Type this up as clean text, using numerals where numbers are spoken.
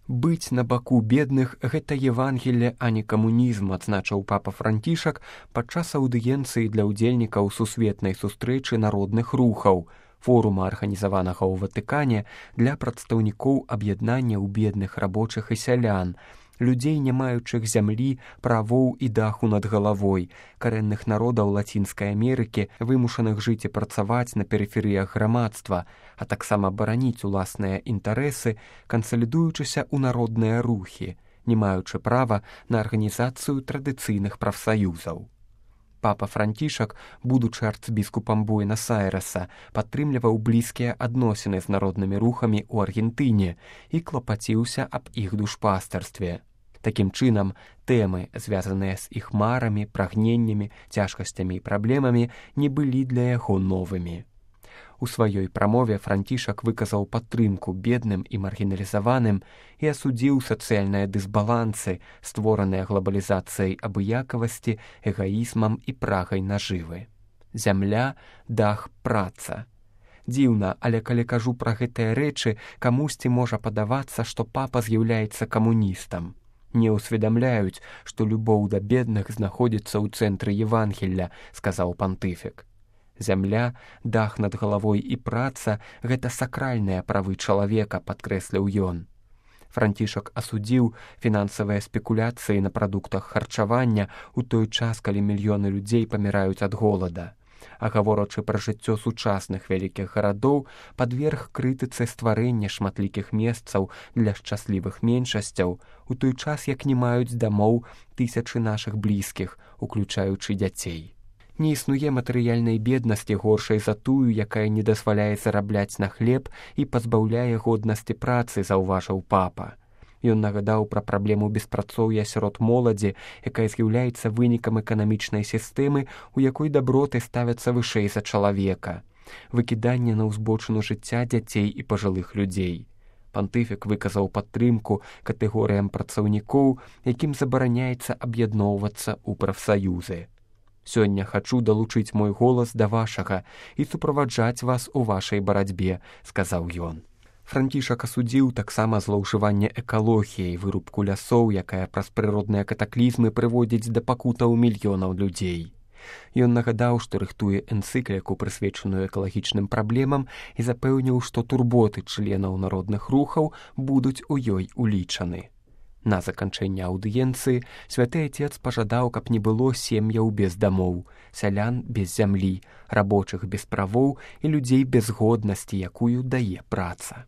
Быць на баку бедных – гэта Евангелле, а не камунізм, адзначыў папа Францішак падчас аўдыенцыі для ўдзельнікаў сусветнай сустрэчы народных рухаў, форума, арганізаванага ў Ватыкане для прадстаўнікоў аб'яднанняў бедных рабочых і сялян, людзей, не маючых зямлі, правоў і даху над галавой, карэнных народаў Лацінскай Амерыкі, вымушаных жыць і працаваць на перыферыях грамадства, а таксама бараніць уласныя інтарэсы, кансалідуючыся ў народныя рухі, не маючы права на арганізацыю традыцыйных прафсаюзаў. Папа Францішак, будучы арцбіскупам Буэнас-Айрэса, падтрымліваў блізкія адносіны з народнымі рухамі ў Аргентыне і клапаціўся аб іх душпастарстве. Такім чынам, тэмы, звязаныя з іх марамі, прагненнямі, цяжкасцямі і праблемамі, не былі для яго новымі. У сваёй прамове Францішак выказаў падтрымку бедным і маргіналізаваным і асудзіў сацыяльныя дысбалансы, створаныя глабалізацыяй абыякавасці, эгаізмам і прагай нажывы. Зямля, дах, праца. Дзіўна, але калі кажу пра гэтыя рэчы, камусьці можа падавацца, што папа з'яўляецца камуністам. Не ўсведамляюць, што любоў да бедных знаходзіцца ў цэнтры Евангелля, сказаў пантыфік. Зямля, дах над галавой і праца – гэта сакральныя правы чалавека, падкрэсліў ён. Францішак асудзіў фінансавыя спекуляцыі на прадуктах харчавання ў той час, калі мільёны людзей паміраюць ад голада. А гаворачы пра жыццё сучасных вялікіх гарадоў, падверг крытыцы стварэння шматлікіх месцаў для шчаслівых меншасцяў, у той час, як не маюць дамоў тысячы нашых блізкіх, уключаючы дзяцей. Не існуе матэрыяльнай беднасці горшай за тую, якая не дазваляе зарабляць на хлеб і пазбаўляе годнасці працы, заўважыў папа. Ён нагадаў пра праблему беспрацоўя сярод моладзі, якая з'яўляецца вынікам эканамічнай сістэмы, у якой даброты ставяцца вышэй за чалавека. Выкіданне на ўзбочыну жыцця дзяцей і пажылых людзей. Пантыфік выказаў падтрымку катэгорыям працаўнікоў, якім забараняецца аб'ядноўвацца ў прафсаюзы. Сёння хачу далучыць мой голас да вашага і суправаджаць вас у вашай барацьбе, сказаў ён. Францішак асудзіў таксама злоўжыванне экалогіяй, вырубку лясоў, якая праз прыродныя катаклізмы прыводзіць да пакутаў мільёнаў людзей. Ён нагадаў, што рыхтуе энцыкліку, прысвечаную экалагічным праблемам, і запэўніў, што турботы членаў народных рухаў будуць у ёй улічаны. На заканчэнне аўдыенцыі святы Атец пажадаў, каб не было сем'яў без дамоў, сялян без зямлі, рабочых без правоў і людзей без годнасці, якую дае праца.